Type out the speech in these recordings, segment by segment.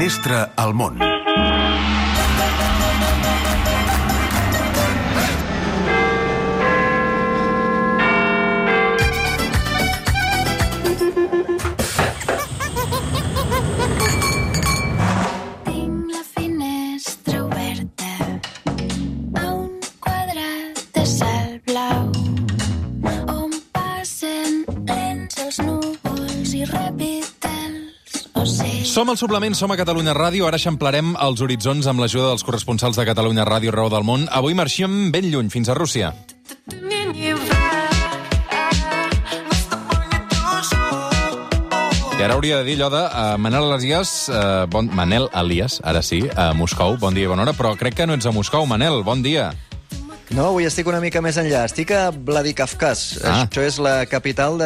finestra al món. Som al Suplement, som a Catalunya Ràdio. Ara eixamplarem els horitzons amb l'ajuda dels corresponsals de Catalunya Ràdio arreu del món. Avui marxem ben lluny, fins a Rússia. I ara hauria de dir allò de Manel Elias, ara sí, a Moscou. Bon dia i bona hora, però crec que no ets a Moscou, Manel. Bon dia. No, avui estic una mica més enllà. Estic a Vladikavkaz. Això és la capital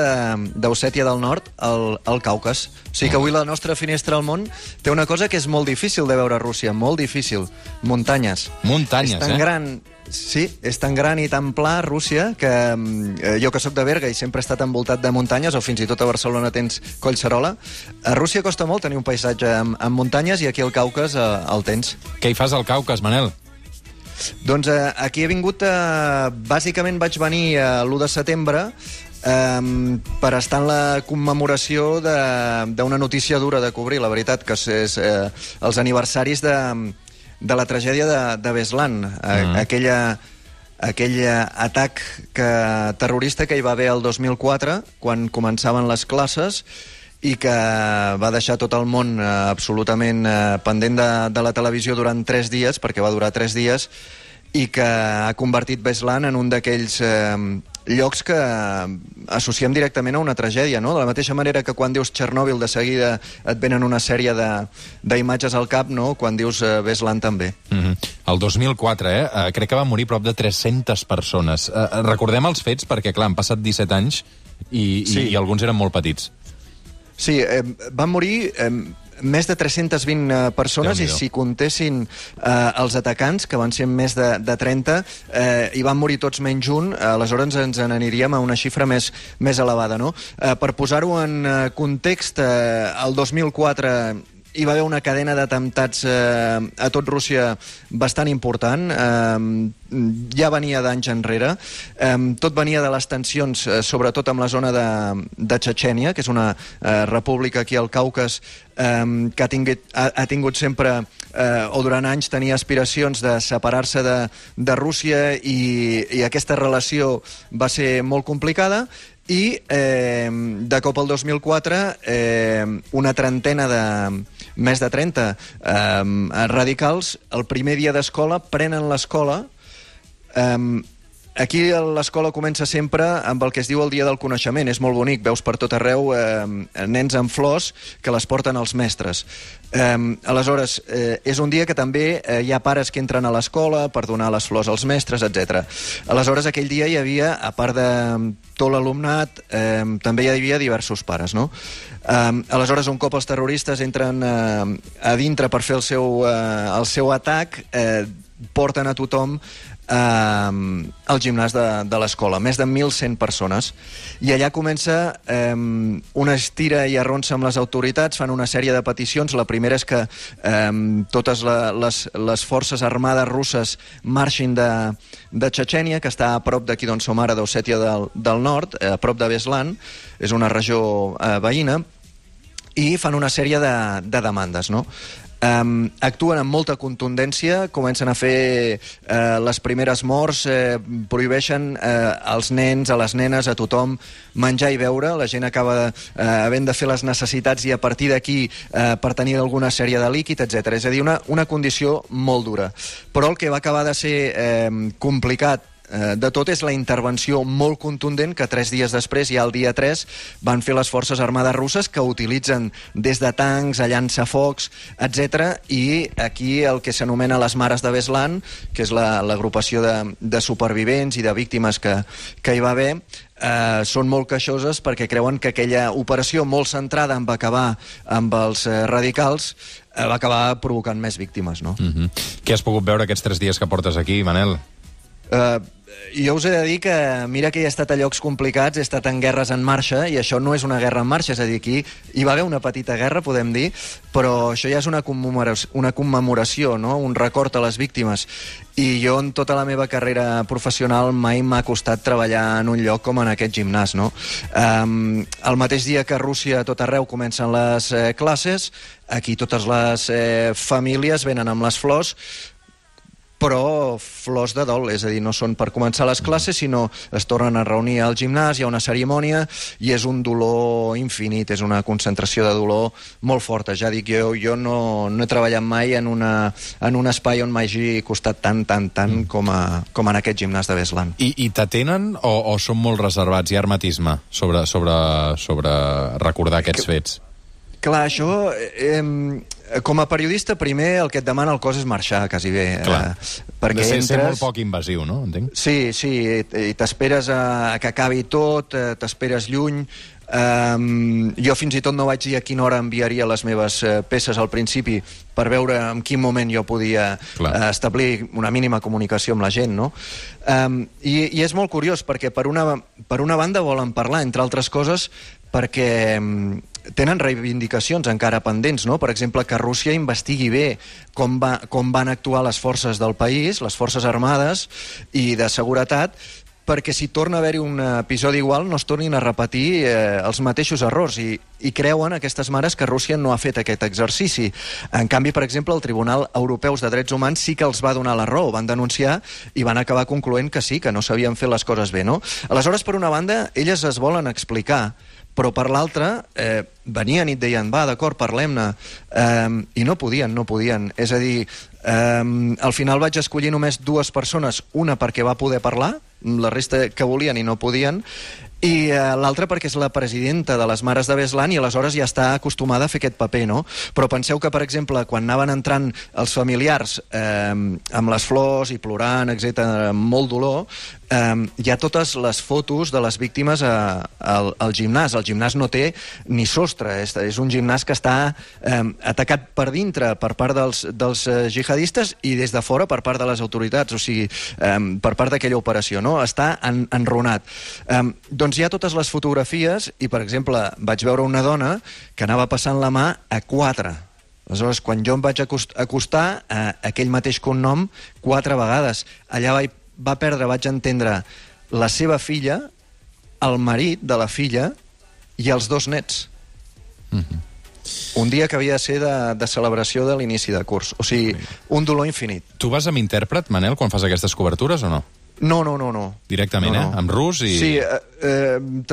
d'Ossètia del Nord, al Caucas. O sigui que avui la nostra finestra al món té una cosa que és molt difícil de veure a Rússia, molt difícil. Muntanyes. Muntanyes, és tan gran, sí, és tan gran i tan pla, Rússia, que jo que sóc de Berga i sempre he estat envoltat de muntanyes, o fins i tot a Barcelona tens Collserola, a Rússia costa molt tenir un paisatge amb muntanyes i aquí al Caucas el tens. Què hi fas al Caucas, Manel? Doncs aquí he vingut, bàsicament vaig venir l'1 de setembre per estar en la commemoració d'una notícia dura de cobrir, la veritat, que és els aniversaris de la tragèdia de Beslan, aquell atac terrorista que hi va haver el 2004, quan començaven les classes, i que va deixar tot el món absolutament pendent de la televisió durant 3 dies, perquè va durar 3 dies, i que ha convertit Beslan en un d'aquells llocs que associem directament a una tragèdia, no? De la mateixa manera que quan dius Txernòbil de seguida et venen una sèrie d'imatges al cap, no? Quan dius Beslan també. El 2004, crec que van morir prop de 300 persones. Recordem els fets perquè, clar, han passat 17 anys i alguns eren molt petits. Sí, van morir més de 320 persones i si comptessin els atacants, que van ser més de 30, i van morir tots menys un, aleshores ens n'aniríem a una xifra més elevada, no? Per posar-ho en context, el 2004 hi va haver una cadena d'atemptats a tot Rússia bastant important, ja venia d'anys enrere, tot venia de les tensions, sobretot amb la zona de Txetxènia, que és una república aquí al Caucas que ha tingut sempre, o durant anys tenia aspiracions de separar-se de Rússia i aquesta relació va ser molt complicada. I de cop al 2004 una trentena més de 30 radicals el primer dia d'escola prenen l'escola. Aquí l'escola comença sempre amb el que es diu el Dia del Coneixement. És molt bonic, veus per tot arreu nens amb flors que les porten els mestres. Aleshores, és un dia que també hi ha pares que entren a l'escola per donar les flors als mestres, etc. Aleshores, aquell dia hi havia, a part de tot l'alumnat, també hi havia diversos pares, no? Aleshores, un cop els terroristes entren a dintre per fer el seu atac, porten a tothom al gimnàs de l'escola, més de 1.100 persones, i allà comença una estira i arronsa amb les autoritats, fan una sèrie de peticions. La primera és que totes les forces armades russes marxin de Txetxènia, que està a prop d'aquí d'on som ara, d'Ossètia del Nord, a prop de Beslan, és una regió veïna, i fan una sèrie de demandes, no? Actuen amb molta contundència, comencen a fer les primeres morts, prohibeixen als nens, a les nenes, a tothom menjar i beure. La gent acaba havent de fer les necessitats i a partir d'aquí per tenir alguna sèrie de líquid, etc. És a dir, una condició molt dura. Però el que va acabar de ser complicat de tot és la intervenció molt contundent que 3 dies després, ja el dia 3, van fer les forces armades russes, que utilitzen des de tancs a llançafocs, etc. I aquí el que s'anomena les Mares de Beslan, que és l'agrupació de supervivents i de víctimes que hi va haver, són molt queixoses perquè creuen que aquella operació molt centrada en acabar amb els radicals va acabar provocant més víctimes, no? Què has pogut veure aquests 3 dies que portes aquí, Manel? jo us he de dir que, mira que he estat a llocs complicats, he estat en guerres en marxa, i això no és una guerra en marxa, és a dir, aquí hi va haver una petita guerra, podem dir, però això ja és una commemoració, no? Un record a les víctimes. I jo, en tota la meva carrera professional, mai m'ha costat treballar en un lloc com en aquest gimnàs, no? El mateix dia que a Rússia, a tot arreu, comencen les classes, aquí totes les famílies venen amb les flors, però flors de dol, és a dir, no són per començar les classes, sinó es tornen a reunir al gimnàs, hi ha una cerimònia, i és un dolor infinit, és una concentració de dolor molt forta. Ja dic, jo no he treballat mai en un espai on m'hagi costat tant com en aquest gimnàs de Beslan. I t'atenen o són molt reservats? Hi ha hermetisme sobre recordar aquests fets? Clar, això... com a periodista, primer el que et demana el cos és marxar, quasi bé. Perquè ser molt poc invasiu, no? Entenc? Sí, i t'esperes a que acabi tot, t'esperes lluny. Jo fins i tot no vaig dir a quina hora enviaria les meves peces al principi per veure en quin moment jo podia establir una mínima comunicació amb la gent, no? I és molt curiós, perquè per una banda volen parlar, entre altres coses, perquè tenen reivindicacions encara pendents, no? Per exemple, que Rússia investigui bé com van actuar les forces del país, les forces armades i de seguretat, perquè si torna a haver-hi un episodi igual no es tornin a repetir els mateixos errors, i creuen aquestes mares que Rússia no ha fet aquest exercici. En canvi, per exemple, el Tribunal Europeu de Drets Humans sí que els va donar la raó, van denunciar i van acabar concloent que sí, que no s'havien fet les coses bé, no? Aleshores, per una banda, elles es volen explicar, però per l'altra venien i et deien, va, d'acord, parlem-ne, i no podien. És a dir, al final vaig escollir només 2 persones, una perquè va poder parlar, la resta que volien i no podien, i l'altra perquè és la presidenta de les Mares de Beslan i aleshores ja està acostumada a fer aquest paper, no? Però penseu que, per exemple, quan anaven entrant els familiars amb les flors i plorant, etc., amb molt dolor, hi ha totes les fotos de les víctimes al gimnàs. El gimnàs no té ni sostre, és un gimnàs que està atacat per dintre per part dels jihadistes i des de fora per part de les autoritats, o sigui, per part d'aquella operació, no? Està enrunat. Doncs hi ha totes les fotografies i, per exemple, vaig veure una dona que anava passant la mà a 4. Aleshores, quan jo em vaig acostar, aquell mateix cognom 4 vegades. Allà va perdre, vaig entendre, la seva filla, el marit de la filla i els 2 nets. Un dia que havia de ser de celebració de l'inici de curs. O sigui, un dolor infinit. Tu vas amb intèrpret, Manel, quan fas aquestes cobertures o no? No. Directament, no. Amb rus i... Sí,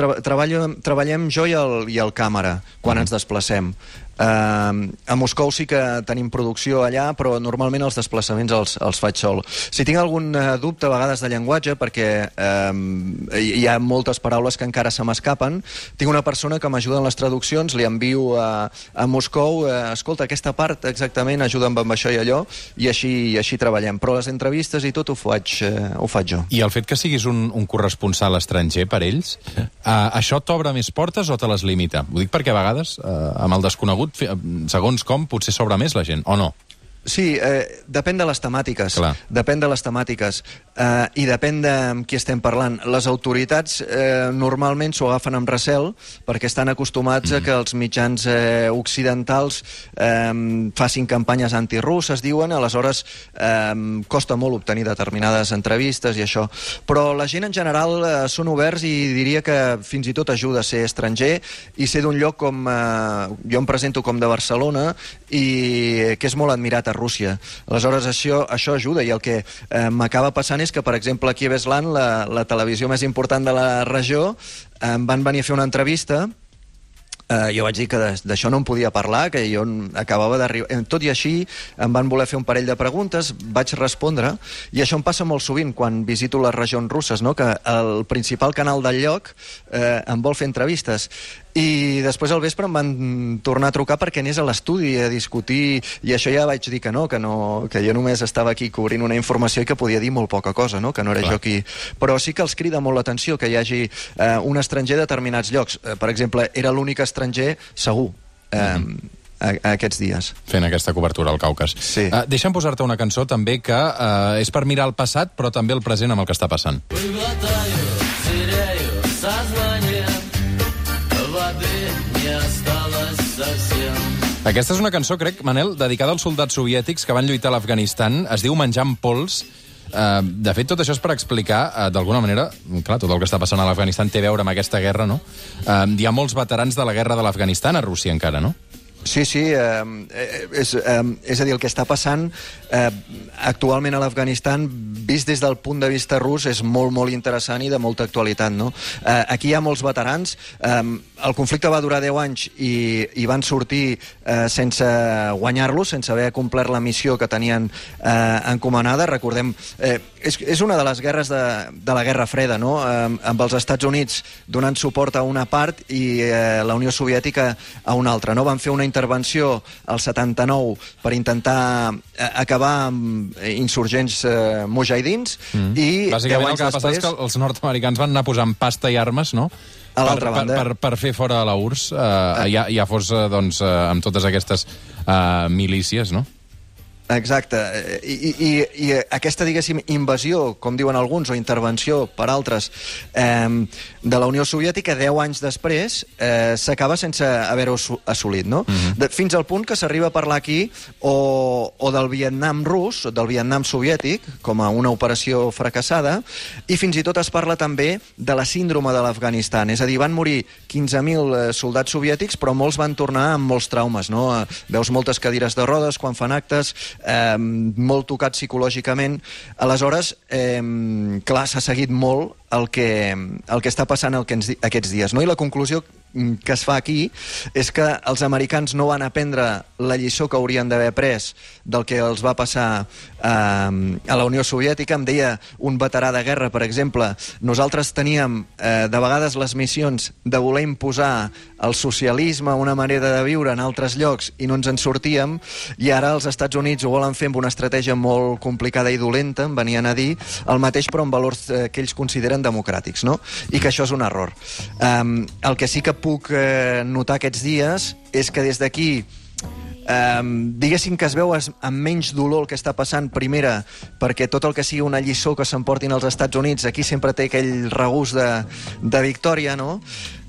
treballem jo i el càmera quan ens desplacem. A Moscou sí que tenim producció allà, però normalment els desplaçaments els faig sol. Si tinc algun dubte a vegades de llenguatge, perquè hi ha moltes paraules que encara se m'escapen, tinc una persona que m'ajuda en les traduccions, li envio a Moscou, escolta, aquesta part exactament, ajuda'm amb això i allò, i així treballem. Però les entrevistes i tot ho faig jo. I el fet que siguis un corresponsal estranger per ells, això t'obre més portes o te les limita? Ho dic perquè a vegades, amb el desconegut, segons com, potser s'obre més la gent, o no? Sí, depèn de les temàtiques. Clar. Depèn de les temàtiques i depèn de amb qui estem parlant. Les autoritats normalment s'ho agafen amb recel perquè estan acostumats a que els mitjans occidentals facin campanyes antirusses, diuen, aleshores costa molt obtenir determinades entrevistes i això. Però la gent en general són oberts i diria que fins i tot ajuda a ser estranger i ser d'un lloc com... jo em presento com de Barcelona i que és molt admirat a Rússia. Aleshores, això ajuda, i el que m'acaba passant és que, per exemple, aquí a Beslan, la televisió més important de la regió, em van venir a fer una entrevista. Jo vaig dir que d'això no em podia parlar, que jo acabava d'arribar. Tot i així, em van voler fer un parell de preguntes, vaig respondre, i això em passa molt sovint quan visito les regions russes, no? Que el principal canal del lloc em vol fer entrevistes. I després al vespre em van tornar a trucar perquè anés a l'estudi a discutir, i això ja vaig dir que jo només estava aquí cobrint una informació i que podia dir molt poca cosa, no? Que no era jo qui... Però sí que els crida molt l'atenció que hi hagi un estranger a determinats llocs. Per exemple, era l'únic estranger segur. aquests dies. Fent aquesta cobertura al Caucas. Sí. Deixa'm posar-te una cançó també que és per mirar el passat, però també el present amb el que està passant. Aquesta és una cançó, crec, Manel, dedicada als soldats soviètics que van lluitar a l'Afganistan. Es diu Menjant pols. De fet, tot això és per explicar, d'alguna manera, clar, tot el que està passant a l'Afganistan té a veure amb aquesta guerra, no? Hi ha molts veterans de la guerra de l'Afganistan a Rússia encara, no? Sí, és a dir, el que està passant actualment a l'Afganistan, vist des del punt de vista rus, és molt, molt interessant i de molta actualitat, no? Aquí hi ha molts veterans. El conflicte va durar 10 anys i van sortir sense guanyar-lo, sense haver complert la missió que tenien encomanada. Recordem, és una de les guerres de la Guerra Freda, no? Amb els Estats Units donant suport a una part i la Unió Soviètica a una altra, no? Van fer una intervenció al 79 per intentar acabar amb insurgents mujahidins i bàsicament el que va passar és que els nord-americans van anar posant pasta i armes, no? A l'altra banda. Per fer fora la URSS, ja fos doncs, amb totes aquestes milícies, no? Exacte, i aquesta, diguéssim, invasió, com diuen alguns, o intervenció per altres, de la Unió Soviètica, 10 anys després, s'acaba sense haver-ho assolit, no? Fins al punt que s'arriba a parlar aquí o del Vietnam rus, del Vietnam soviètic, com a una operació fracassada, i fins i tot es parla també de la síndrome de l'Afganistan, és a dir, van morir 15.000 soldats soviètics, però molts van tornar amb molts traumes, no? Veus moltes cadires de rodes quan fan actes, molt tocat psicològicament. Aleshores, clar, s'ha seguit molt el que està passant aquests dies, no? I la conclusió que es fa aquí és que els americans no van aprendre la lliçó que haurien d'haver pres del que els va passar a la Unió Soviètica. Em deia un veterà de guerra, per exemple, nosaltres teníem de vegades les missions de voler imposar el socialisme, una manera de viure en altres llocs, i no ens en sortíem, i ara els Estats Units ho volen fer amb una estratègia molt complicada i dolenta, em venien a dir, el mateix però amb valors que ells consideren democràtics, no? I que això és un error. El que sí que puc notar aquests dies és que des d'aquí diguéssim que es veu amb menys dolor el que està passant, primera perquè tot el que sigui una lliçó que s'emportin als Estats Units aquí sempre té aquell regust de victòria, no?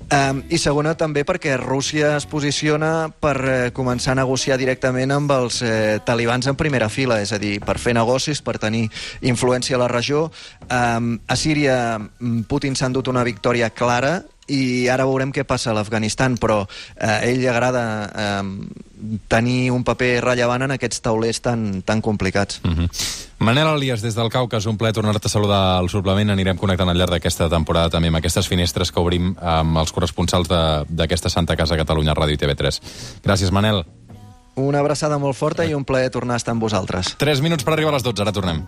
I segona també perquè Rússia es posiciona per començar a negociar directament amb els talibans en primera fila, és a dir, per fer negocis, per tenir influència a la regió. A Síria Putin s'ha endut una victòria clara i ara veurem què passa a l'Afganistan, però a ell li agrada tenir un paper rellevant en aquests taulers tan complicats. Manel Elias, des del Caucas, un plaer tornar-te a saludar al suplement. Anirem connectant al llarg d'aquesta temporada també amb aquestes finestres que obrim amb els corresponsals d'aquesta Santa Casa Catalunya Ràdio i TV3. Gràcies, Manel. Una abraçada molt forta i un plaer tornar a estar amb vosaltres. 3 minuts per arribar a les 12, ara tornem.